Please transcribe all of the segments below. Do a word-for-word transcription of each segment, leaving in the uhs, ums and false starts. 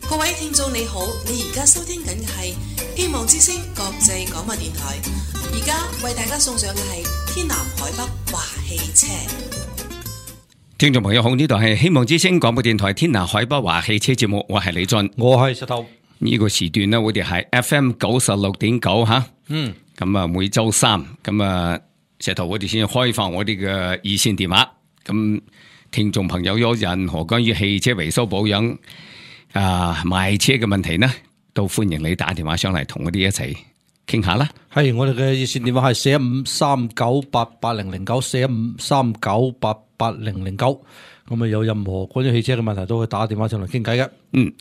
各位聽眾你好，你而家收聽緊嘅係希望之聲國際廣播電台，而家為大家送上嘅係天南海北華汽車。聽眾朋友好，呢度係希望之聲廣播電台天南海北華汽車節目，我係李俊，我係石頭。呢個時段呢，我哋係 F M 九十六點九吓，嗯，咁啊每周三，咁啊石頭我哋先開放我哋嘅熱線電話，咁聽眾朋友有任何關於汽車維修保養啊賣車嘅問題呢，都歡迎你打電話上嚟同我哋一齊傾下啦。係我哋嘅熱線電話係四一五三九八八零零九，四一五三九八八零零九。咁啊有任何關於汽車嘅問題都可以打電話上嚟傾偈嘅。嗯，誒、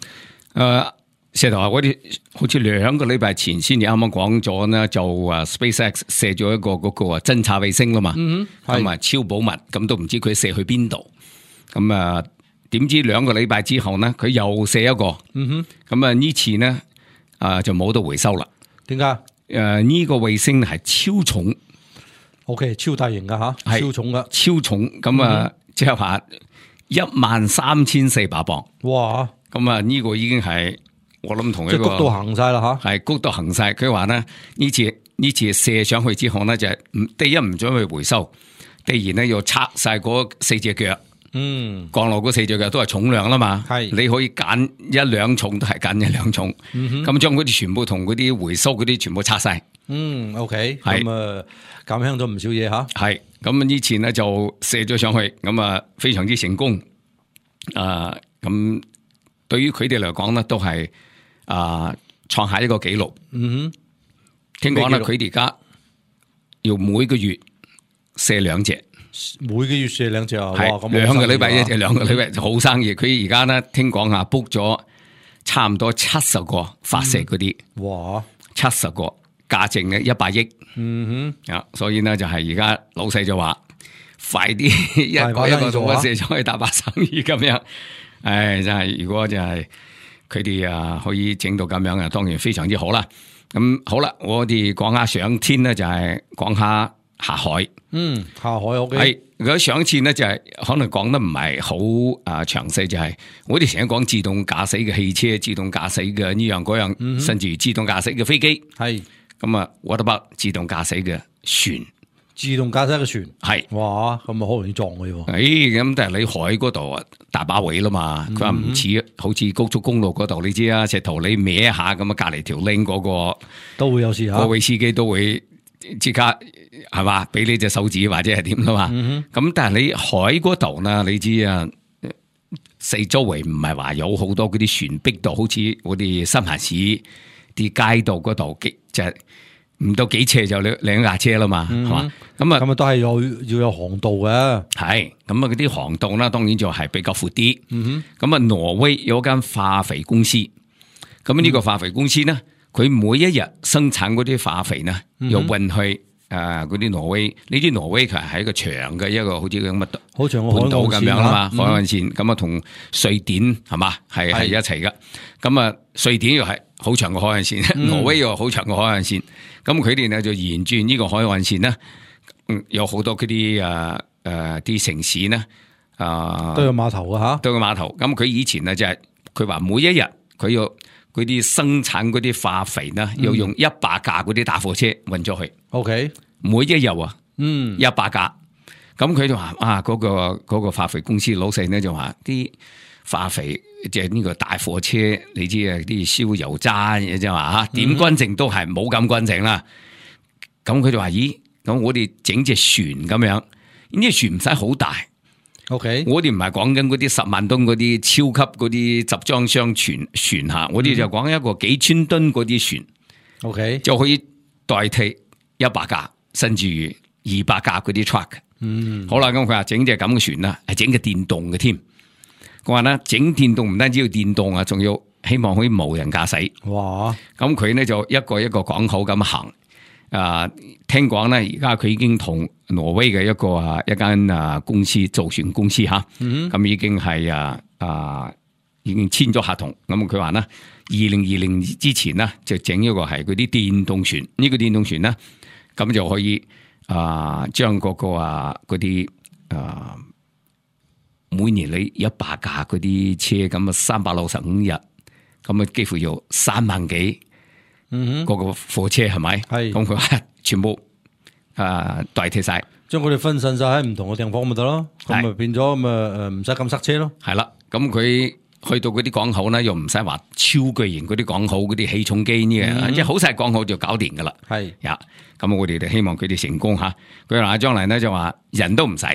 呃，石頭啊，我哋好似兩個禮拜前先，你啱啱講咗呢，就啊 SpaceX 射咗一個嗰個啊偵察衛星啦嘛，嗯哼，咁啊超保密，咁都唔知佢射去邊度，咁啊。點知兩個禮拜之後呢，佢又射一個，嗯哼，咁啊呢次呢，啊就冇得回收啦。點解？誒、呃、呢、這個衛星係超重 ，OK， 超大型噶吓，超重噶，超重，咁啊即係話一萬三千四百磅。哇！咁啊呢個已經係我諗同一個即係谷到行晒啦吓，係谷到行晒。佢話呢呢次呢次射上去之後呢，就係唔第一唔准去回收，第二呢要拆晒嗰四隻腳。嗯，降落嗰四隻腳都係重量啦嘛，係你可以揀一兩重都係揀一兩重，咁將嗰啲全部同嗰啲回收嗰啲全部拆晒。嗯 ，OK，係咁啊減輕咗唔少嘢吓。係咁呢次呢就射咗上去，咁啊非常之成功。啊，咁對於佢哋嚟講呢，都係啊創下一個紀錄。嗯哼，聽講咧佢哋而家要每個月射兩隻。每個月射兩隻啊，哇！咁兩個禮拜一隻，兩個禮拜好生意。佢而家呢，聽講啊 book 咗差唔多七十個發射嗰啲，哇！七十個價值呢一百億，嗯哼，啊，所以呢，就係而家老細就話快啲一個一個做射上去大把生意咁樣。唉，真係如果就係佢哋啊可以整到咁樣啊，當然非常之好啦。咁好啦，我哋講下上天呢，就係講下下海。嗯，下海 OK。係，如果上次呢，就係、是、可能講得唔係好啊詳細，就係、是、我哋成日講自動駕駛嘅汽車、自動駕駛嘅呢樣嗰樣，嗯、甚至自動駕駛嘅飛機。係咁啊，what about自動駕駛嘅船？自動駕駛嘅船係，哇，咁啊好容易撞嘅喎。誒，咁但係你海嗰度啊大把位啦嘛，佢話唔似好似高速公路嗰度，你知啊，石頭你歪一下咁啊，隔籬條 link 嗰個都會有事吓，嗰位司機都會即刻。係嘛？俾你隻手指或者係點啦嘛？咁、嗯、但係你海嗰度呢？你知啊，四周圍唔係話有好多嗰啲船逼到，好似我哋新棚市啲街道嗰度，就唔到幾斜就兩兩架車啦嘛，係嘛？咁啊，咁啊都係有要有航道嘅。係咁啊，嗰啲航道啦，當然就係比較闊啲。咁、嗯、啊，挪威有間化肥公司，咁呢個化肥公司呢，佢、嗯、每一日生產嗰啲化肥呢，又運去。誒、呃，嗰啲挪威，呢啲挪威佢係一個長嘅一個好似咁嘅好長嘅半島咁樣啦嘛，海岸線咁啊，同瑞典係嘛係係一齊噶。咁啊，瑞典又係好長嘅海岸線，嗯、挪威又好長嘅海岸線。咁佢哋呢就沿住呢個海岸線呢，嗯，有好多嗰啲誒誒啲城市呢，啊、呃、都有碼頭啊吓，都有碼頭。咁佢以前呢就係佢話每一日佢要。嗰啲生產嗰啲化肥呢，要用一百架嗰啲大貨車運咗去。O、okay. K， 每一日啊，嗯，一百架。咁佢就話啊，嗰、嗰個嗰、嗰個化肥公司老細呢就話啲化肥即係呢個大貨車，你知啊啲燒油渣嘢啫嘛吓，點均淨都係冇咁均淨啦。咁佢就話咦，咁我哋整隻船咁樣，呢隻船唔使好大。OK， 我哋唔係講緊嗰啲十萬噸嗰啲超級嗰啲集裝箱船船吓，我哋就講一個幾千噸嗰啲船，OK 就可以代替一百架甚至於二百架嗰啲 truck。嗯，好啦，咁佢話整隻咁嘅船啦，係整嘅電動嘅添。佢話咧整電動唔單止要電動啊，仲要希望可以無人駕駛。哇！咁佢呢就一個一個港口咁行。啊，聽講咧，而家佢已經同挪威嘅一個啊一間啊公司造船公司吓，咁、嗯、已經係啊啊已經簽咗合同。咁佢話咧，二零二零之前呢，就整一個係嗰啲電動船。呢、這個電動船咧，咁就可以啊將嗰個啊嗰啲啊每年你一百架嗰啲車咁啊三百六十五日，咁啊幾乎要三萬幾，嗯，嗰個貨車係咪？係，咁佢全部啊代替晒，將佢哋分散晒喺唔同嘅地方咪得咯，咁咪變咗咁啊誒唔使咁塞車咯。係啦，咁佢去到嗰啲港口咧，又唔使話超巨型嗰啲港口嗰啲起重機呢嘅，即係好細港口就搞掂噶啦。係呀，咁我哋就希望佢哋成功吓。佢話將來咧就話人都唔使。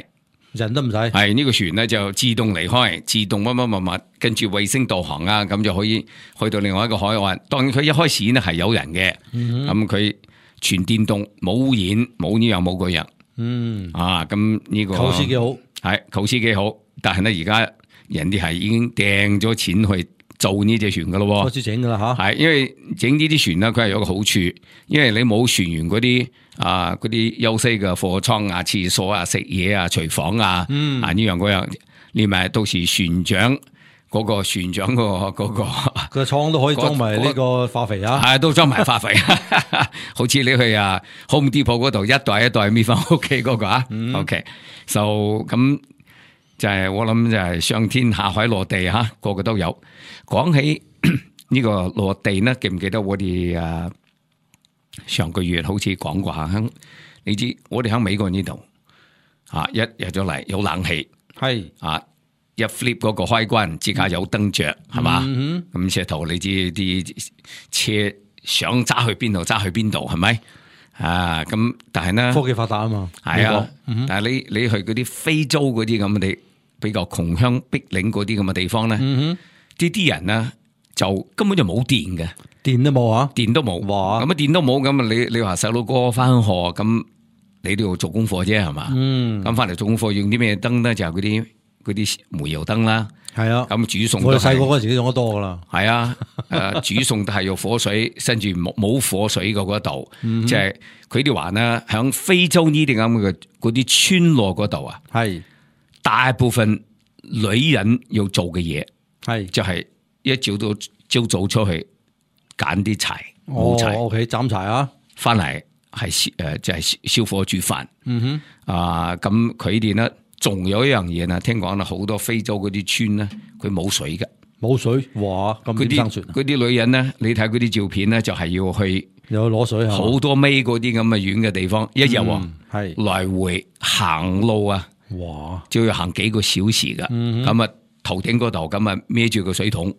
人都唔使，係呢、這個船咧就自動離開，自動乜乜乜乜，跟住衛星導航啊，咁就可以去到另外一個海岸。當然佢一開始呢係有人嘅，咁佢、嗯、全電動，冇污染，冇呢樣冇嗰樣。嗯，啊，咁呢、這個構思幾好，係構思幾好，但係咧而家人哋係已經掟咗錢去做呢隻船噶咯，開始整噶啦吓。係因為整呢啲船咧，佢係有個好處，因為你冇船員嗰啲。啊！嗰啲休息嘅貨倉啊、廁所啊、食嘢啊、廚房啊，嗯、啊呢樣嗰樣，連埋到時船長嗰、那個船長、那個嗰、那個個倉都可以裝埋呢個化肥啊，係都裝埋化肥，好似你去啊 Home Depot 嗰度一袋一袋搣翻屋企嗰個啊。嗯、OK， 就、so, 咁就係、是、我諗就係上天下海落地吓，個個都有。講起呢個落地呢，記唔記得我哋啊？上個月好似講過下，你知我哋喺美國呢度啊，一入咗嚟有冷氣，係啊，一 flip 嗰個開關，即刻有燈着，係嘛？咁石頭你知啲車想揸去邊度揸去邊度，係咪？啊，咁但係呢，科技發達啊嘛，係啊，嗯、但係你你去嗰啲非洲嗰啲咁嘅地，比較窮鄉僻嶺嗰啲咁嘅地方咧，呢啲、嗯、人呢就根本就冇電嘅。電都冇啊，電都冇，咁啊電都冇，咁啊你你話細佬哥翻學，咁你都要做功課啫係嘛？嗯，咁翻嚟做功課用啲咩燈咧？就係嗰啲嗰啲煤油燈啦。係啊，咁煮餸我哋細個嗰時都用得多噶啦。係啊，誒煮餸都係用火水，甚至冇冇火水嗰度，即係佢哋話呢，響非洲呢啲咁嘅嗰啲村落嗰度啊，係大部分女人要做嘅嘢，係就係一朝到朝早出去。揀啲柴，冇柴，哦 OK， 斬柴啊，翻嚟係誒，就係燒火煮飯。嗯哼，啊，咁佢哋咧，仲有一樣嘢呢，聽講啦，好多非洲嗰啲村咧，佢冇水嘅，冇水，哇，咁點生存？嗰啲女人咧，你睇嗰啲照片咧，就係要去有攞水，好多米嗰啲咁嘅遠嘅地方，一日係來回行路啊，哇，就要行幾個小時噶。咁啊，頭頂嗰度咁啊，孭住個水桶。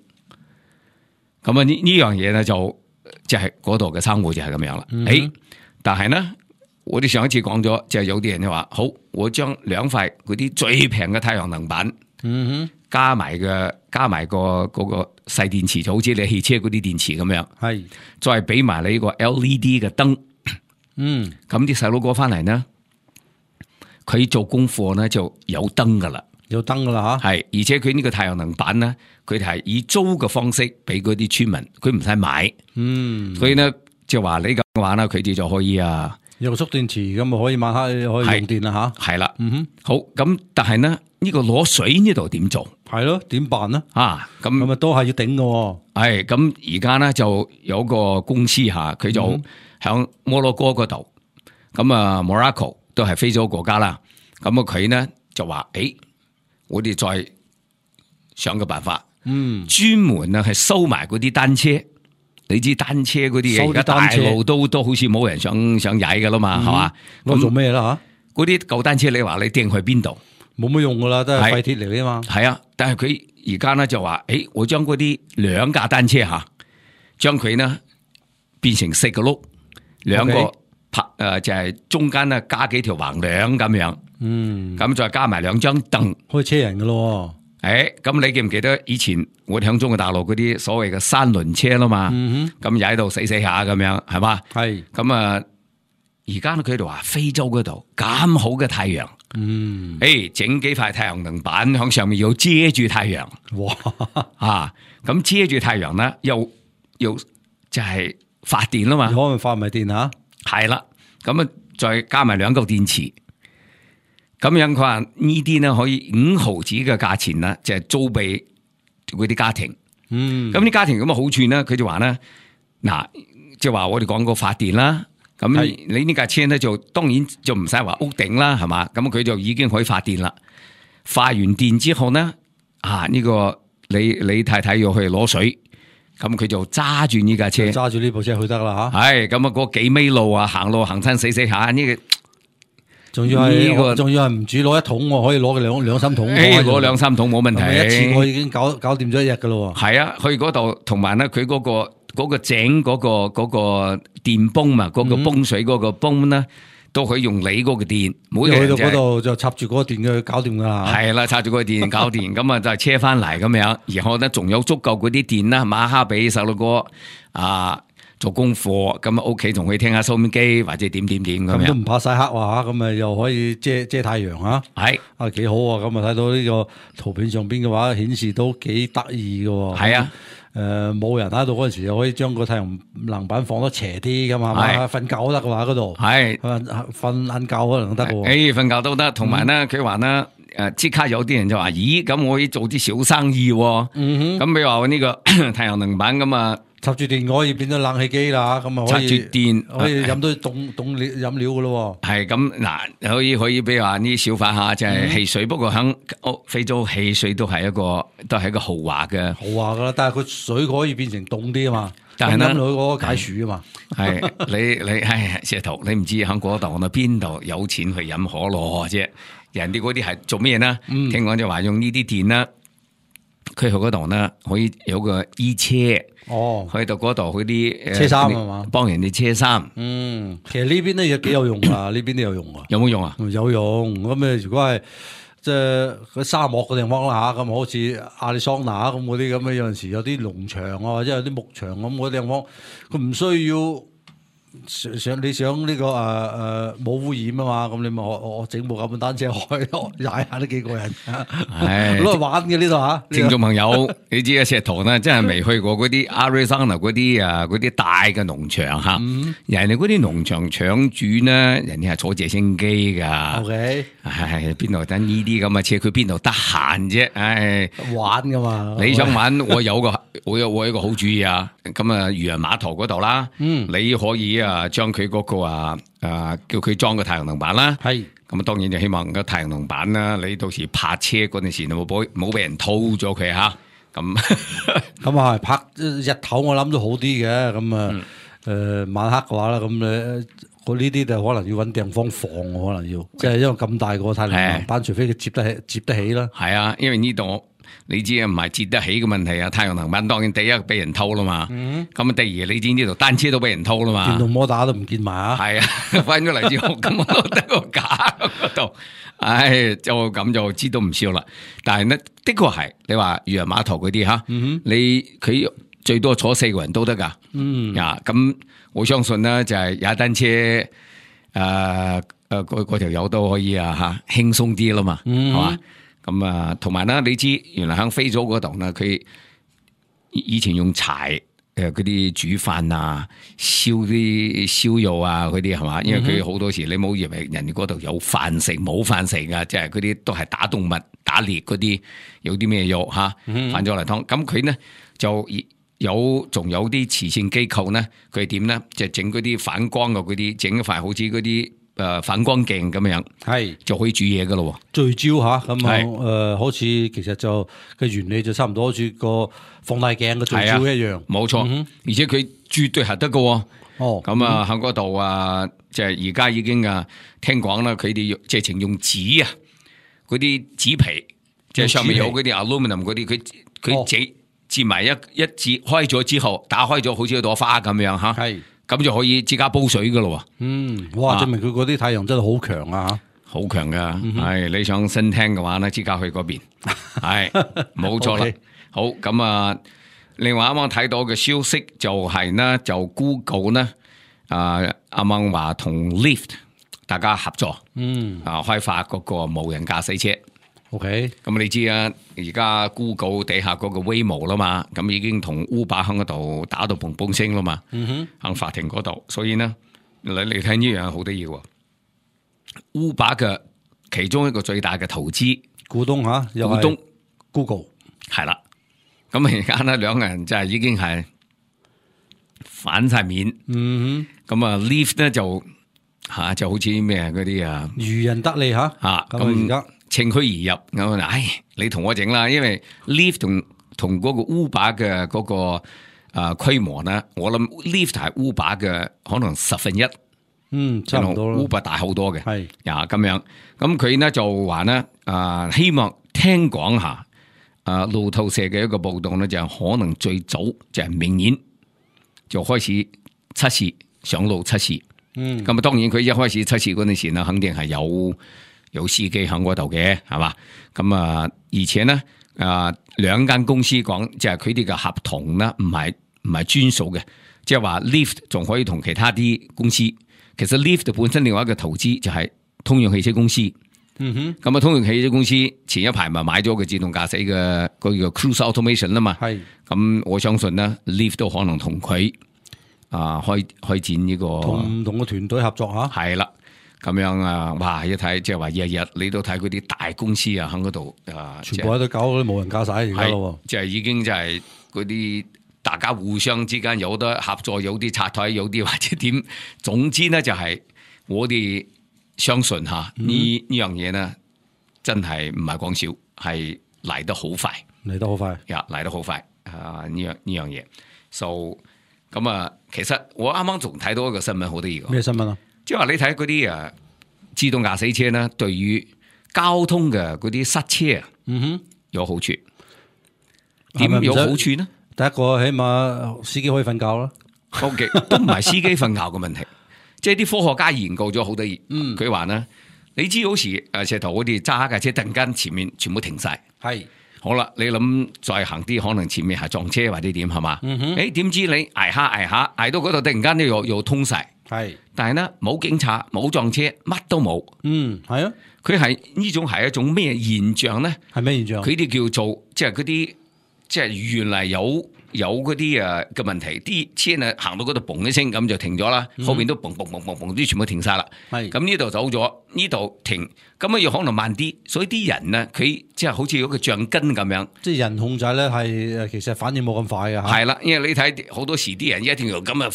咁啊呢呢樣嘢咧就就係嗰度嘅生活就係咁樣啦。誒、嗯哼，但係呢，我哋上一次講咗，就係、是、有啲人就話好，我將兩塊嗰啲最平嘅太陽能板，嗯哼，加埋嘅加埋個嗰個細電池，就好似你汽車嗰啲電池咁樣，係是，再俾埋你呢個 L E D 嘅燈，嗯，咁啲細佬哥翻嚟呢，佢做功課呢就有燈噶啦。有燈噶啦吓，係，而且佢呢個太陽能板咧，佢哋係以租嘅方式俾嗰啲村民，佢唔使買，嗯，所以咧就話你咁話啦，佢哋就可以啊，用蓄電池咁啊，可以晚黑可以用電啦吓，係啦，嗯哼，好，咁但係呢，呢個攞水呢度點做？係咯，點辦呢？啊，咁咁啊都係要頂嘅，係，咁而家咧就有個公司吓，佢就響摩洛哥嗰度，咁啊 Morocco 都係非洲國家啦，咁啊佢呢就話誒。我哋再想個辦法，嗯，專門啊係收埋嗰啲單車，你知單車嗰啲嘢而家大路都都好似冇人想想踩噶啦嘛，係嘛？咁做咩啦吓？嗰啲舊單車你話你掟去邊度？冇乜用噶啦，都係廢鐵嚟嘅嘛。係啊，但係佢而家咧就話，誒，我將嗰啲兩架單車吓，將佢呢變成四個轆，兩個拍誒就係中間咧加幾條橫梁咁樣。嗯，咁再加埋兩張凳，可以車人噶咯。誒，咁你記唔記得以前我哋響中國大陸嗰啲所謂嘅三輪車啦嘛？咁踩到死死下咁樣，係嘛？係。咁啊，而家佢哋話非洲嗰度咁好嘅太陽，嗯，誒，整幾塊太陽能板響上面要遮住太陽。哇！啊，咁遮住太陽咧，又又就係發電啦嘛？可能發埋電吓？係啦，咁啊，再加埋兩嚿電池。咁樣佢話呢啲咧可以五毫子嘅價錢啦，就係租俾嗰啲家庭。嗯，咁啲家庭咁嘅好處咧，佢就話咧，嗱，即係話我哋講過發電啦。咁是你呢架車咧就當然就唔使話屋頂啦，係嘛？咁佢就已經可以發電啦。發完電之後咧，啊呢、這個你你太太要去攞水，咁佢就揸住呢架車，揸住呢部車去得啦吓。係咁啊，嗰幾米路啊，行路行親死死下呢個。仲要係呢個，仲要係唔止攞一桶，我可以攞嘅兩兩三桶。誒，攞兩三桶冇問題。一次我已經搞搞掂咗一日噶咯。係啊，去嗰度同埋咧，佢嗰個嗰個井嗰個嗰個電泵嘛，嗰個泵水嗰個泵咧，都可以用你嗰個電。每去到嗰度就插住嗰個電嘅搞掂噶啦。係啦，插住嗰個電搞掂，咁啊就係車翻嚟咁樣。然後咧仲有足夠嗰啲電啦，馬哈俾細路哥啊。做功課咁啊，屋企仲可以聽下收音機或者點點點咁樣，都唔怕曬黑話，咁啊又可以遮遮太陽嚇，係啊幾好啊！咁啊睇到呢個圖片上邊嘅話，顯示都幾得意嘅。係啊，誒冇人喺度嗰陣時，又可以將個太陽能板放得斜啲㗎嘛，瞓覺都得嘅話嗰度，係瞓瞓晏覺可能得嘅。誒瞓覺都得，同埋咧佢話咧誒即刻有啲人就話：咦，咁我可以做啲小生意喎。嗯哼，咁譬如話呢個太陽能板咁啊。插住電可以變咗冷氣機啦，咁啊可以插住電可以飲到凍凍料飲料噶咯。係咁嗱，可以可以比如話呢小販下即係汽水，嗯、不過喺歐非洲汽水都係一個都係一個豪華嘅豪華噶啦，但係佢水可以變成凍啲啊嘛，但係飲落去嗰個解暑啊嘛。係你你唉石頭，你唔知喺嗰度我邊度有錢去飲可樂啫？人哋嗰啲係做咩呢？嗯、聽講就話用呢啲電啦，佢去嗰度呢可以有個衣車。哦，去到嗰度嗰啲車衫係嘛，幫人哋車衫。嗯，其實呢邊咧又幾有用啊，呢邊都有用啊。有冇用啊？有用。咁誒，如果係即係嗰沙漠嘅地方啦吓，咁好似亞利桑那咁嗰啲咁嘅，有陣時有啲農場啊，或者有啲牧場咁嗰啲地方，佢唔需要。想想你想呢、這個誒誒冇污染啊嘛，咁你咪我我整部咁嘅單車開踩下都幾過癮，係攞嚟玩嘅呢度吓。聽眾朋友，你知啊，石頭咧真係未去過嗰啲 Arizona 嗰啲啊嗰啲大嘅農場吓，嗯、人哋嗰啲農場場主咧，人哋係坐直升機噶。OK，係邊度等呢啲咁嘅車？佢邊度得閒啫？唉，玩噶嘛。你想玩，我有個我有我有一個好主意啊！咁啊，漁人碼頭嗰度啦，嗯，你可以。啊，將佢嗰個啊啊，叫佢裝個太陽能板啦。係，咁啊，當然就希望個太陽能板啦，你到時泊車嗰陣時，冇俾冇俾人偷咗佢吓。咁咁啊，泊日頭我諗都好啲嘅。咁啊，誒、嗯呃，晚黑嘅話啦，咁咧，我呢啲就可能要搵地方放，可能要，即係因為咁大個太陽能板，除非佢接得起，接得起啦。係啊，因為呢度。你知啊，唔係接得起嘅問題啊！太陽能板當然第一俾人偷啦嘛，咁啊、嗯、第二你知呢度單車都俾人偷啦嘛，電動摩打都唔見埋啊！係啊，翻咗嚟之後咁我得個架嗰度，唉，就咁就知道唔少啦。但係呢，的確係你話漁人碼頭嗰啲吓，嗯、哼你佢最多坐四個人都得噶，嗯啊，咁我相信呢，就係踩單車，誒誒嗰嗰條友都可以啊吓，輕鬆啲啦嘛，係嘛、嗯？咁啊，同埋咧，你知原來喺非洲嗰度咧，佢以前用柴誒嗰啲煮飯啊、燒啲燒肉啊嗰啲係嘛？因為佢好多時你冇以為人哋嗰度有飯食，冇飯食噶，即係嗰啲都係打動物、打獵嗰啲，有啲咩肉吓，飯咗嚟湯。咁佢咧就有仲有啲慈善機構咧，佢點咧就整嗰啲反光嘅嗰啲，整一塊好似嗰啲。誒、呃，反光鏡咁樣係就可以煮嘢噶咯，聚焦吓咁啊，誒、呃，好似其實就嘅原理就差唔多，好似個放大鏡嘅聚焦一樣，冇錯、啊。嗯、而且佢絕對係得噶。哦，咁啊喺嗰度啊，即係而家已經啊，聽講啦，佢哋直情用紙啊，嗰啲紙皮，即係上面有嗰啲 aluminum 嗰啲，佢佢折折埋一一折開咗之後，打開咗好似一朵花咁樣吓。係。咁就可以自家煲水噶咯。嗯，哇！證明佢嗰啲太陽真係好強啊，好強噶。係、嗯哼，你想新聽嘅話咧，即刻去嗰邊。係，冇錯啦。Okay. 好，咁啊，另外啱啱睇到嘅消息就係呢，就 Google 呢，啊，啱啱話同 Lyft 大家合作，嗯，啊，開發嗰個無人駕駛車。OK，咁你知啊，而家 Google 底下嗰個 Waymo 啦嘛，咁已經同 Uber 喺嗰度打到砰砰聲啦嘛，嗯哼，喺法庭嗰度，所以呢，你你睇呢樣好得意喎。Uber 嘅其中一個最大嘅投資股東吓，股東 Google 係啦，咁而家呢兩個人就係已經係反晒面，嗯哼，咁啊 Lyft 呢就吓、啊、就好似咩嗰啲啊，漁人得利吓，吓咁而家。趁虛而入，咁唉，你同我整啦，因為 Lyft 同同嗰個 Uber 嘅嗰個啊規模呢，我諗 lift 係 Uber 嘅可能十分一，嗯，差唔多啦 ，Uber 大好多嘅，係呀咁樣，咁佢呢就話呢，啊希望聽講下，啊路透社嘅一個報道呢，就可能最早就係明年就開始測試上路測試，嗯，咁啊當然佢一開始測試嗰陣時呢，肯定係有有司機喺嗰度嘅，係嘛，咁啊而且呢。啊，兩間公司講，即係佢哋嘅合同咧，唔係唔係專屬嘅，即係話 Lyft 仲可以同其他啲公司。其實 Lyft 本身另外一個投資就係通用汽車公司。嗯哼，咁啊，通用汽車公司前一排咪買咗個自動駕駛嘅嗰個 Cruise Automation 啦嘛。係，咁我相信咧 Lyft 都可能同佢啊開開展呢個同唔同嘅團隊合作吓。係啦。咁樣啊，哇！一睇即係話日日你都睇嗰啲大公司啊，喺嗰度啊，全部喺度搞嗰啲無人駕駛而家咯，即係已經就係嗰啲大家互相之間有得合作，有啲拆台，有啲或者點，總之咧就係我哋相信吓呢呢樣嘢咧，真係唔係講笑，係嚟得好快，嚟得好快，呀嚟得好快啊！呢樣呢樣嘢，so 咁啊，其實我啱啱仲睇到一個新聞，好得意嘅。咩新聞啊？即係話你睇嗰啲誒自動駕駛車咧，對於交通嘅嗰啲塞車啊，嗯哼，有好處。點有好處呢？第一個起碼司機可以瞓覺啦。O K，都唔係司機瞓覺嘅問題，即係啲科學家研究咗好多嘢。嗯，佢話咧，你知好似誒石頭我哋揸架車，突然間前面全部停晒，係好啦，你諗再行啲，可能前面係撞車或者點係嘛？嗯哼，誒點知你捱下捱下捱到嗰度，突然間咧又又通晒。係，但係咧冇警察，冇撞車，乜都冇。嗯，係啊，佢係呢種係一種咩現象咧？係咩現象？佢哋叫做即係嗰啲，即係原嚟有有嗰啲誒嘅問題，啲車啊行到嗰度嘣一聲咁就停咗啦，嗯、後邊都嘣嘣嘣嘣嘣啲全部停晒啦。係，咁呢度走咗，呢度停，咁啊要可能慢啲，所以啲人呢，佢即係好似有個橡筋咁樣。即係人控制咧係其實反應冇咁快嘅。係啦，因為你睇好多時啲人一定要咁啊。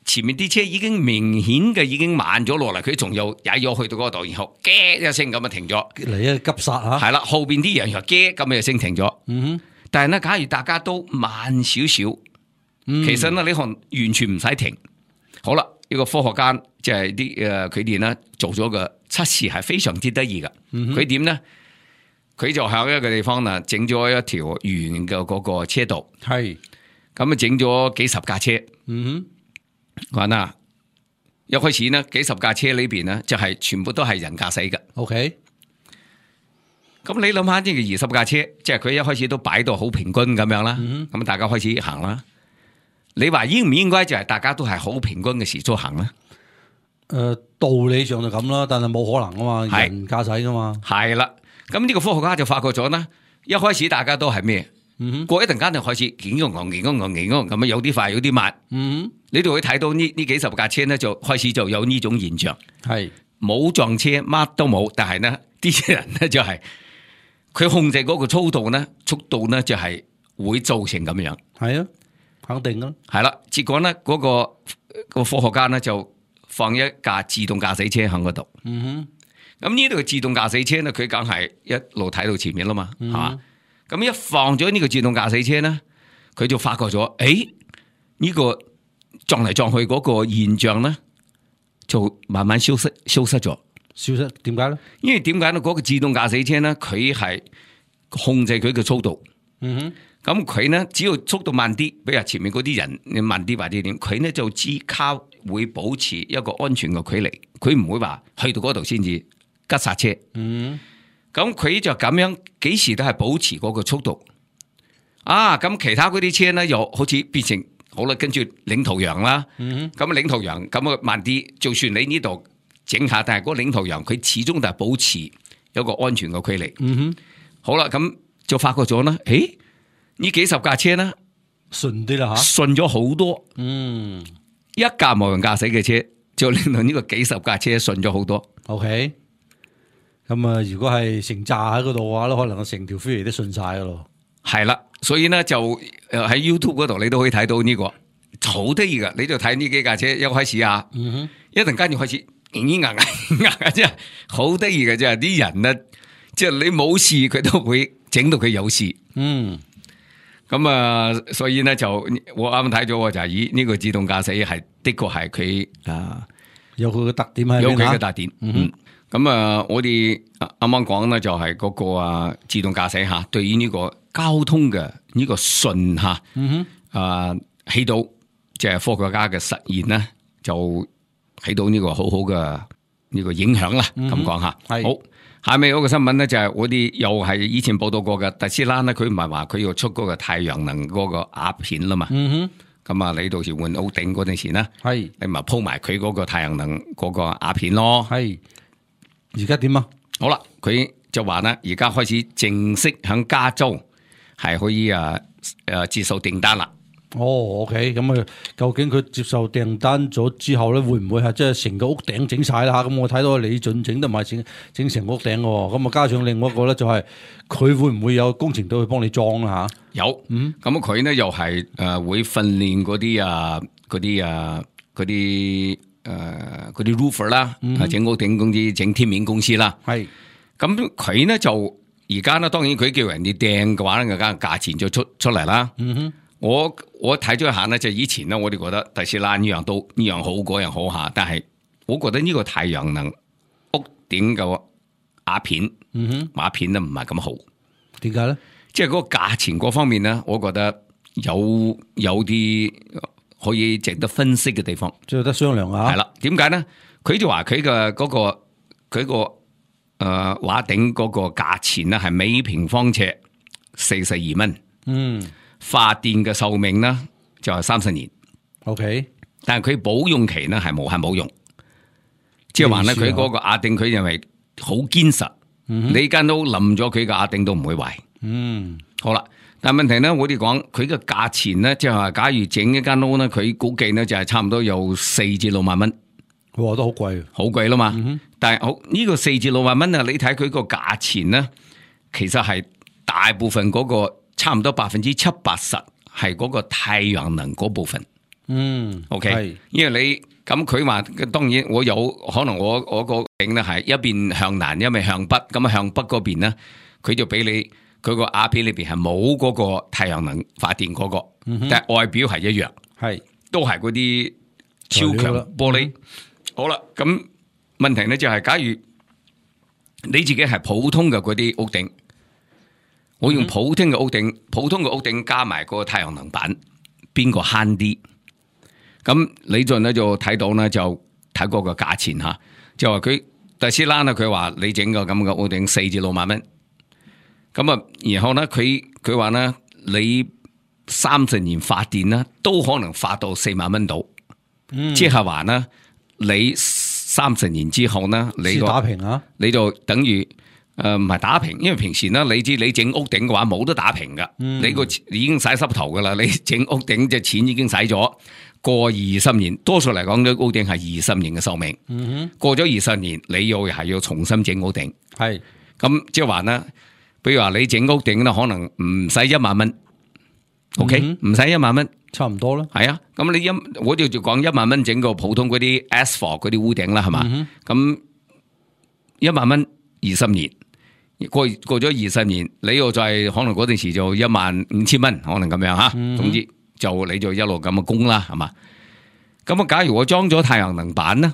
前面啲車已經明顯嘅已經慢咗落嚟，佢仲又踩咗去到嗰度，然後嘅一聲咁啊停咗，嚟一急剎吓，係啦，後邊啲人又嘅咁啊聲停咗。嗯哼，但係咧，假如大家都慢少少，嗯、其實咧你可能完全唔使停。好啦，呢個科學家即係啲誒佢哋咧做咗個測試，係非常之得意噶。佢點咧？佢就喺一個地方啊，整咗一條圓嘅嗰個車道，係咁啊，整咗幾十架車。嗯哼。話啦，一開始呢，幾十架車裏邊呢，就係全部都係人駕駛嘅。OK，咁你諗下呢個二十架車，即係佢一開始都擺到好平均咁樣啦。咁、嗯、大家開始行啦。你話應唔應該就係大家都係好平均嘅時速行咧？誒、呃，道理上就咁啦，但係冇可能啊嘛，人駕駛噶嘛。係啦，咁呢個科學家就發覺咗啦，一開始大家都係咩？嗯、過一陣間就開始勁咁勁咁勁咁咁啊，有啲快有啲慢。嗯，你哋會睇到呢呢幾十架車咧，就開始就有呢種現象。係冇撞車，乜都冇，但係呢啲人咧就係、是、佢控制嗰個速度咧，速度咧就係會造成咁樣。係啊，肯定咯。係啦，結果咧嗰、那個、那個科學家咧就放一架自動駕駛車喺嗰度。嗯哼，咁呢度嘅自動駕駛車咧，佢梗係一路睇到前面啦嘛，係、嗯、嘛？咁一放咗呢個自動駕駛車咧，佢就發覺咗，誒，呢個撞嚟撞去嗰個現象咧，就慢慢消失，消失咗。消失點解咧？因為點解咧？嗰個自動駕駛車咧，佢係控制佢嘅速度。嗯哼，咁佢咧只要速度慢啲，比如前面嗰啲人你慢啲或者點，佢咧就只靠會保持一個安全嘅距離，佢唔會話去到嗰度先至急剎車。嗯。咁佢就咁樣，幾時都係保持嗰個速度啊！咁其他嗰啲車咧，又好似變成好啦，跟住領頭羊啦。咁、嗯、領頭羊咁啊慢啲，就算你呢度整下，但係嗰個領頭羊佢始終都係保持有個安全嘅距離。嗯哼，好啦，咁就發覺咗啦，誒，呢幾十架車咧順啲啦吓，順咗好多。嗯，一架無人駕駛嘅車就令到呢個幾十架車順咗好多。OK。咁啊，如果係成扎喺嗰度嘅話咧，可能成條飛嚟都順晒噶咯。係啦，所以咧就誒喺 YouTube 嗰度你都可以睇到呢、這個好得意噶。你就睇呢幾架車一開始啊，嗯、哼一陣間就開始硬硬硬硬，即係好得意嘅啫。啲人咧，即係你冇事佢都會整到佢有事。嗯，咁啊，所以咧就我啱啱睇咗就係以呢個自動駕駛係的確係佢啊有佢嘅特點喺邊，有佢嘅特點。嗯，咁啊，我哋啱啱講咧就係嗰個啊自動駕駛吓，對於呢個交通嘅呢個順吓，嗯哼，啊起到即係科學家嘅實驗咧，就起到呢個好好嘅呢個影響啦。咁講吓，係好。下面嗰個新聞咧就係我哋又係以前報道過嘅特斯拉咧，佢唔係話佢要出嗰個太陽能嗰個鴉片啦嘛。嗯哼。咁啊，你到時換屋頂嗰陣時咧，係你咪鋪埋佢嗰個太陽能嗰個鴉片咯。係。而家點啊？好啦，佢就話咧，而家開始正式響加州係可以啊誒接受訂單啦。哦 ，OK，咁啊，究竟佢接受訂單咗之後咧，會唔會係即係成個屋頂整晒啦吓？咁我睇到李俊整得埋整整成屋頂喎，咁啊加上另外一個咧就係佢會唔會有工程隊去幫你裝啦吓？有，嗯，咁佢咧又係誒會訓練嗰啲啊嗰啲啊嗰啲誒嗰啲 roofer 啦，整屋頂公司、整天面公司啦，係，咁佢咧就而家咧，當然佢叫人哋訂嘅話咧，梗係價錢就出出嚟啦，嗯哼。我我睇咗一下咧，就以前咧，我哋覺得特斯拉呢樣都呢樣好，嗰樣好下，但係我覺得呢個太陽能屋頂嘅鴉片，嗯哼，鴉片咧唔係咁好。點解咧？即係嗰個價錢嗰方面咧，我覺得有有啲可以值得分析嘅地方，即係得商量啊。係啦，點解咧？佢就話佢嘅嗰個佢個誒畫頂嗰個價錢咧係每平方尺四十二蚊。嗯。發電嘅壽命咧就係三十年 ，OK， 但係佢保用期咧係無限保用，即係話咧佢嗰個壓定佢認為好堅實，嗯、你間屋冧咗佢嘅壓定都唔會壞。嗯，好啦，但係問題咧，我哋講佢嘅價錢咧，即係話假如整一間屋咧，佢估計咧就係差唔多有四至六萬蚊，哇，都好貴，好貴啦嘛。嗯、但係好呢個四至六萬蚊啊，你睇佢個價錢咧，其實係大部分嗰、嗰個。差唔多百分之七八十係嗰個太陽能嗰部分，嗯 ，OK，因為你咁佢話，當然我有可能我我個頂咧係一邊向南，一邊向北，咁啊向北嗰邊咧，佢就俾你佢個鴉片裏邊係冇嗰個太陽能發電嗰、嗰個，嗯、但係外表係一樣，係都係嗰啲超強玻璃。嗯、好啦，咁問題咧就係、是，假如你自己係普通嘅嗰啲屋頂。我用普通嘅屋頂，普通嘅屋頂加埋個太陽能板，邊個慳啲？咁李俊咧就睇到咧，就睇嗰個價錢吓，就話佢特斯拉咧，佢話你整個咁嘅屋頂四至六萬蚊，咁啊，然後咧佢佢話咧，你三十年發電咧，都可能發到四萬蚊度，嗯、即係話咧，你三十年之後咧，你個打平啊，你就等於。誒，唔係打平，因為平時咧，你知你整屋頂嘅話冇得打平噶，嗯、你個已經洗濕頭噶啦，你整屋頂隻錢已經使咗，過二十年，多數嚟講，屋頂係二十年嘅壽命，嗯、哼過咗二十年，你又係要重新整屋頂，係是，咁即係話咧，比如話你整屋頂咧，可能唔使一萬蚊 ，OK，唔使一萬蚊，差唔多啦，係啊，咁你一我哋就講一萬蚊整個普通嗰啲 asphalt 嗰啲屋頂啦，係嘛，咁、嗯、哼一萬蚊二十年。過過咗二十年，你又再可能嗰陣時就一萬五千蚊，可能咁樣吓。嗯、哼總之就你就一路咁嘅供啦，係嘛？咁啊，假如我裝咗太陽能板咧，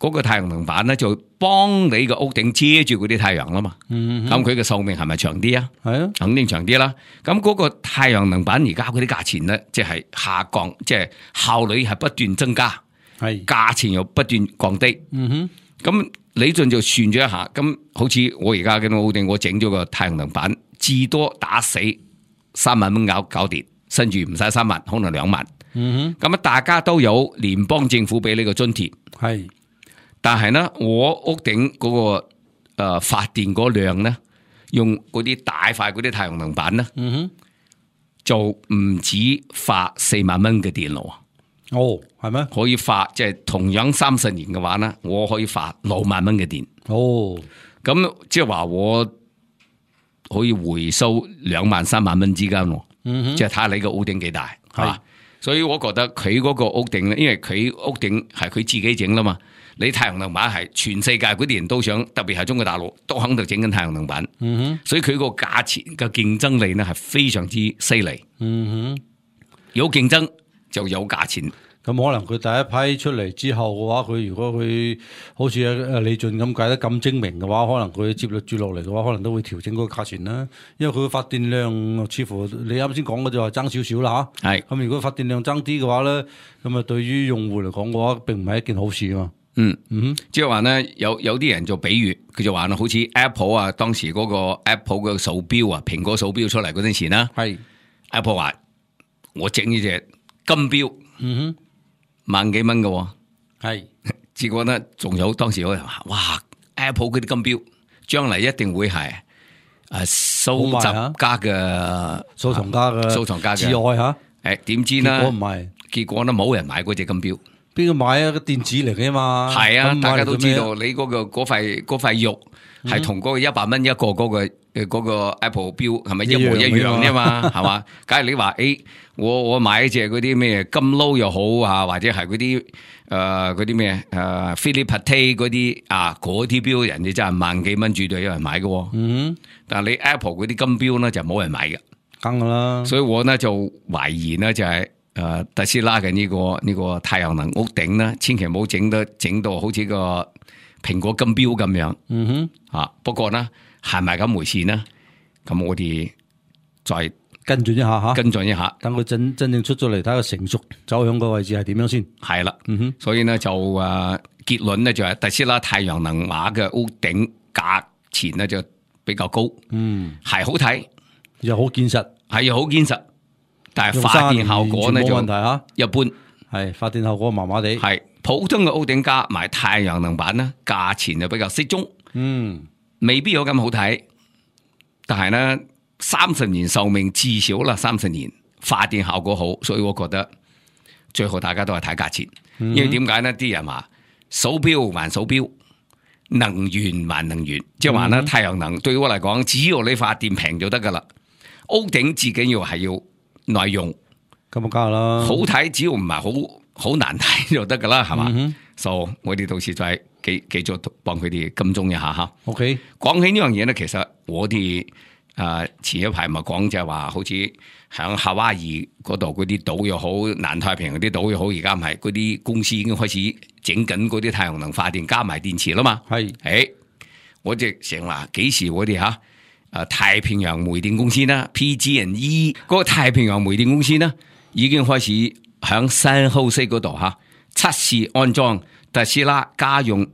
嗰、那個太陽能板咧就幫你個屋頂遮住嗰啲太陽啦嘛。咁佢嘅壽命係咪長啲啊？係啊，肯定長啲啦。咁嗰個太陽能板而家嗰啲價錢咧，即係下降，即係效率係不斷增加，係價錢又不斷降低。嗯哼，咁。李俊就算咗一下，咁好似我而家嘅屋頂，我整咗個太陽能板，至多打死三萬蚊搞搞掂，甚至唔使三萬，可能兩萬。嗯哼，咁啊，大家都有聯邦政府俾呢個津貼，係是，但係咧，我屋頂嗰、那個誒、呃、發電嗰量咧，用嗰啲大塊嗰啲太陽能板咧，嗯哼，就唔止發四萬蚊嘅電咯。哦，係咩？可以發即係、就是、同樣三十年嘅話咧，我可以發六萬蚊嘅電。哦，咁即係話我可以回收兩萬三萬蚊之間。嗯哼，即係睇下你個屋頂幾大，係嘛？所以我覺得佢嗰個屋頂咧，因為佢屋頂係佢自己整啦嘛。你太陽能板係全世界嗰啲人都想，特別係中國大陸都喺度整緊太陽能板。嗯哼，所以佢個價錢嘅競爭力咧係非常之犀利。嗯哼，有競爭就有價錢。咁可能佢第一批出嚟之後嘅話，佢如果佢好似阿李俊咁計得咁精明嘅話，可能佢接落住落嚟嘅話，可能都會調整嗰個價錢啦。因為佢嘅發電量似乎你啱先講嘅就係爭少少啦嚇。係。咁如果發電量爭啲嘅話咧，咁啊對於用戶嚟講嘅話，並唔係一件好事啊嘛。嗯嗯，即係話咧，有有啲人就比喻，佢就話好似 Apple 啊，當時嗰個 Apple 嘅手錶啊，蘋果手錶出嚟嗰陣時啦，係 Apple 話我整呢隻金錶，嗯哼。萬幾蚊嘅，係，結果咧仲有當時有人話，哇 ，Apple 嗰啲金錶將來一定會係誒收集家嘅收藏家嘅收藏家嘅至愛吓，誒點知咧？結果唔係，結果咧冇人買嗰隻金錶，邊個買啊？個電子嚟嘅嘛，係啊，大家都知道你嗰個嗰塊嗰塊肉係同嗰個一百蚊一個嗰個誒嗰個 Apple 錶係咪一模一樣啫嘛？係嘛？假如你話誒。我我買一隻嗰啲咩金撈又好啊，或者係嗰啲誒嗰啲咩誒 Philippe Patek 嗰啲啊，嗰啲錶人哋真係萬幾蚊絕對有人買嘅。嗯，但係你 Apple 嗰啲金錶咧就冇人買嘅，梗噶啦。所以我呢就懷疑呢就係誒特斯拉嘅呢個呢個太陽能屋頂咧，千祈唔好整得整到好似個蘋果金錶咁樣。嗯哼，啊不過呢係咪咁回事呢？咁我哋再。跟進一下吓，跟進一下，等佢真真正出咗嚟，睇個成熟走向個位置係點樣先。係啦，嗯哼，所以呢就誒、呃、結論咧就係特斯拉太陽能瓦嘅屋頂價錢咧就比較高，嗯，係好睇又好堅實，係又好堅實，但係發電效果咧就冇問題吓，一般係發電效果麻麻地，係普通嘅屋頂加埋太陽能板咧，價錢就比較適中，嗯，未必有咁好睇，但係咧。三十年壽命至少啦，三十年發電效果好，所以我覺得最後大家都係睇價錢，嗯、因為點解呢？啲人話手錶還手錶，能源還能源，即係話咧太陽能對於我嚟講，只要你發電平就得噶啦。屋頂至緊要係要耐用，咁啊梗係啦，好睇只要唔係好好難睇就得噶啦，係嘛？嗯、所以我哋到時再繼繼續幫佢哋跟蹤一下吓。OK， 講起呢樣嘢咧，其實我哋。誒、呃，前一排咪講就係話，好似響夏威夷嗰度嗰啲島又好，南太平洋啲島又好，而家唔係嗰啲公司已經開始整緊嗰啲太陽能發電加埋電池啦嘛。係，誒、欸，我哋成話幾時我哋吓誒太平洋煤電公司啦 ，P G and E 嗰個太平洋煤電公司呢，已經開始響三號西嗰度吓測試安裝特斯拉家用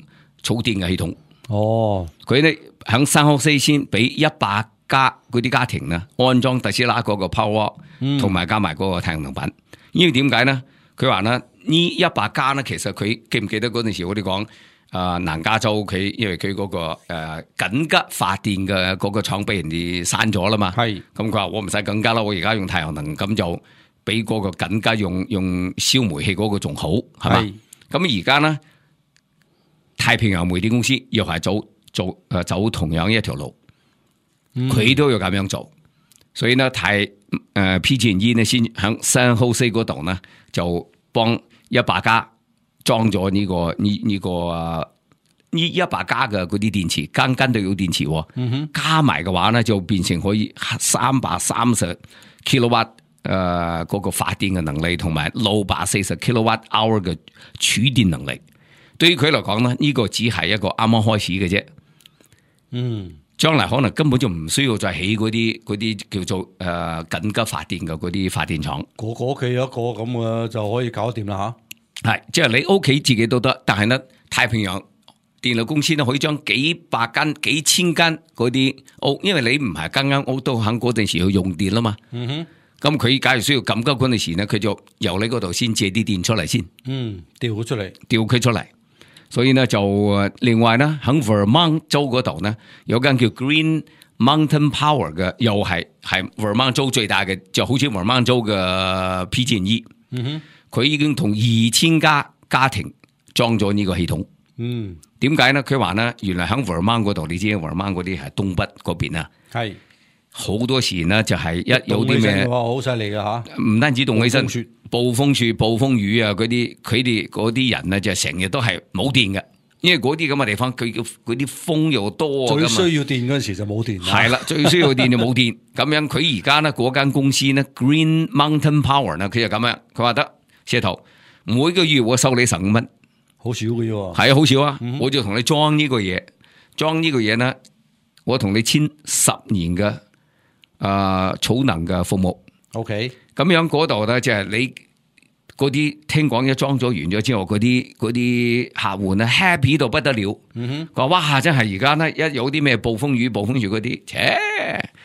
儲電嘅系統。哦，佢哋響三號西先俾一百。家嗰啲家庭呢，安裝特斯拉嗰個 Power， 同埋加埋嗰個太陽能板。因為點解呢？佢話呢呢一百家呢，其實佢記唔記得嗰陣時我哋講誒南加州佢因為佢嗰、嗰個誒、呃、緊急發電嘅嗰個廠俾人哋閂咗啦嘛。係咁佢話我唔使緊急啦，我而家用太陽能，咁就比嗰個緊急用用燒煤氣嗰個仲好係嘛？咁而家呢太平洋煤電公司又係走做誒走同樣一條路。佢、嗯、都要咁樣做，所以呢，太誒、呃、P G and E 呢先喺 San Jose 嗰度呢，就幫一百家裝咗呢、這個呢呢、這個呢一百家嘅嗰啲電池，間間都有電池、哦，嗯、哼加埋嘅話呢，就變成可以三百三十 kilowatt 誒嗰個發電嘅能力，同埋六百四十 kilowatt hour 嘅儲電能力。對於佢嚟講呢，呢、這個只係一個啱啱開始嘅啫。嗯。將來可能根本就唔需要再起嗰啲嗰啲叫做誒、呃、緊急發電嘅嗰啲發電廠，個個屋企有一個咁嘅就可以搞掂啦吓。係，即係你屋企自己都得，但係呢太平洋電力公司呢可以將幾百間、幾千間嗰啲屋，因為你唔係間間屋都喺嗰陣時去用電啦嘛。嗯哼，咁佢假如需要緊急嗰陣時呢，佢就由你嗰度先借啲電出嚟先。嗯，調佢出嚟，調佢出嚟。所以呢就另外呢喺 Vermont 州嗰度呢有間叫 Green Mountain Power 嘅，又係係 Vermont 州最大嘅，就好似 Vermont 州嘅 P G and E。嗯哼，佢已經同二千家家庭裝咗呢個系統。嗯，點解呢？佢話呢，原來喺 Vermont 嗰度，你知 Vermont 嗰啲係東北嗰邊啊，係好多時呢就係一有啲咩好犀利㗎吓，唔單止凍起身，暴風雪、暴風雨啊嗰啲，佢哋嗰啲人呢就成日都係冇電嘅。因為嗰啲咁嘅地方，佢嘅嗰啲風又多，最需要電嗰陣時就冇電。係啦，最需要電就冇電。咁樣佢而家呢嗰間公司呢 Green Mountain Power 呢，佢就咁樣，佢話得石頭每個月我收你十五蚊，好少嘅啫。係啊，好少啊，嗯、我就同你裝呢個嘢，裝呢個嘢呢，我同你簽十年嘅啊、呃、儲能嘅服務。OK，咁樣嗰度呢，就係你。嗰啲聽講一裝咗完咗之後，嗰啲嗰啲客戶咧 happy 到不得了。嗯哼，佢話哇，真係而家咧一有啲咩暴風雨、暴風雨嗰啲，切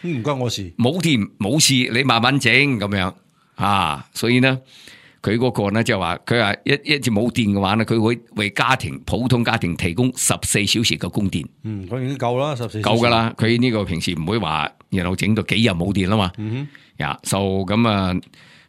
唔關我事，冇電冇事，你慢慢整咁樣啊。所以呢，佢嗰個咧就話佢話一一直冇電嘅話咧，佢會為家庭普通家庭提供十四小時嘅供電。嗯，咁已經夠啦，十四夠噶啦。佢呢個平時唔會話然後整到幾日冇電啦嘛。嗯哼，呀，就咁啊。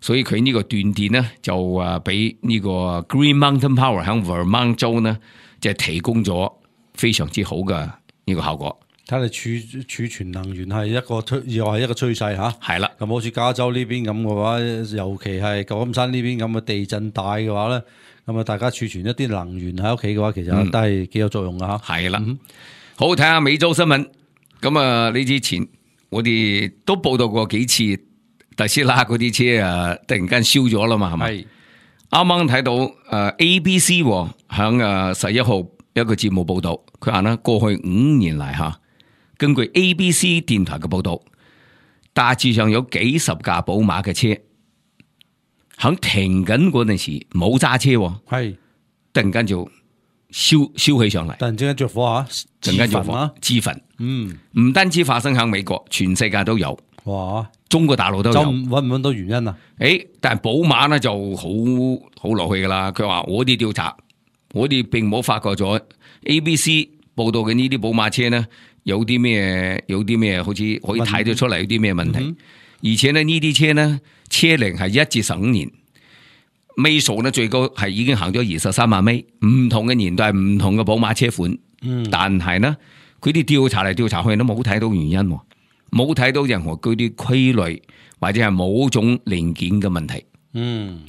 所以佢呢個斷電咧，就啊俾呢個 Green Mountain Power 喺 Vermont 州呢，就係提供咗非常之好嘅呢個效果。睇嚟儲儲存能源係一個趨，又係一個趨勢嚇。係啦，咁好似加州呢邊咁嘅話，尤其係舊金山呢邊咁嘅地震帶嘅話咧，咁啊大家儲存一啲能源喺屋企嘅話，其實都係幾有作用㗎嚇。係啦、嗯，好睇下美洲新聞。咁啊，呢之前我哋都報道過幾次。特斯拉嗰啲車啊，突然間燒咗啦嘛，係咪？啱啱睇到誒 A B C 響誒十一號一個節目報道，佢話呢過去五年嚟吓，根據 A B C 電台嘅報道，大致上有幾十架寶馬嘅車響停緊嗰陣時冇揸車，係突然間就燒燒起上嚟，突然之間着火啊！突然間着火，自焚。嗯，唔單止發生響美國，全世界都有。哇！中國大陸都有，搵唔搵到原因啊？誒，但係寶馬咧就好好落去噶啦。佢話我哋調查，我哋並冇發覺咗 A B C 報道嘅呢啲寶馬車呢，有啲咩有啲咩，好似可以睇得出嚟有啲咩問題。嗯、而且呢呢啲車呢，車齡係一至十五年，尾數呢最高係已經行咗二十三萬米。唔同嘅年代，唔同嘅寶馬車款，嗯、但係呢，佢哋調查嚟調查去都冇睇到原因。冇睇到任何嗰啲規律或者係某種零件嘅問題，嗯，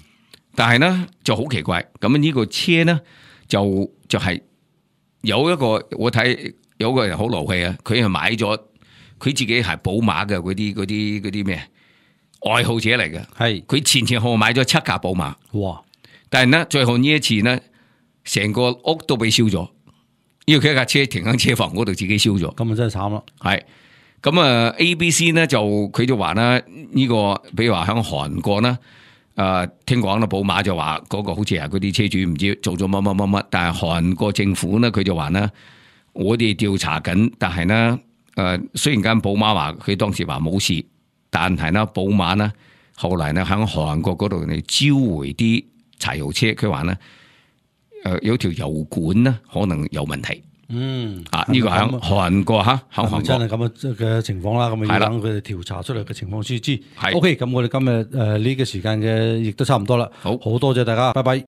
但係呢就好奇怪，咁呢個車呢就就係、是、有一個我睇有個人好勞氣啊，佢係買咗佢自己係寶馬嘅嗰啲嗰啲嗰啲咩愛好者嚟嘅，係佢前前後後買咗七架寶馬，哇！但係呢最後呢一次呢，成個屋都被燒咗，因為佢一架車停喺車房嗰度自己燒咗，咁啊真係慘啦，係。咁啊 A B C 呢就佢就話啦，呢個比如話喺韓國呢，誒聽講啦，寶馬就話嗰個好似係嗰啲車主唔知做咗乜乜乜乜，但係韓國政府呢佢就話呢，我哋調查緊，但係呢誒雖然間寶馬話佢當時話冇事，但係呢寶馬呢後來呢喺韓國嗰度嚟召回啲柴油車，佢話呢誒有條油管呢可能有問題。嗯，啊呢、這個喺韓國吓，喺韓國真係咁嘅情況啦，咁啊要等佢哋調查出嚟嘅情況先知。係，OK，咁我哋今日誒呢個時間嘅亦都差唔多啦。好，好多謝大家，拜拜。